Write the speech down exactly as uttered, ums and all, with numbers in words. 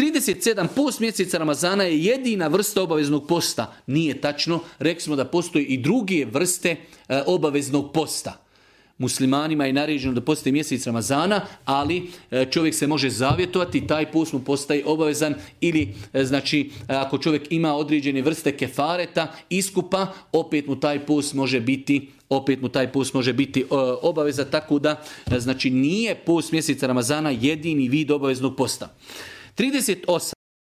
trideset sedam. Post mjeseca Ramazana je jedina vrsta obaveznog posta. Nije tačno. Rekli smo da postoji i druge vrste e, obaveznog posta. Muslimanima je naređeno da postoji mjesec Ramazana, ali čovjek se može zavjetovati, taj post mu postaje obavezan ili znači ako čovjek ima određene vrste kefareta, iskupa, opet mu taj post može biti opet mu taj post može biti obaveza, tako da znači nije post mjeseca Ramazana jedini vid obaveznog posta. trideset osam.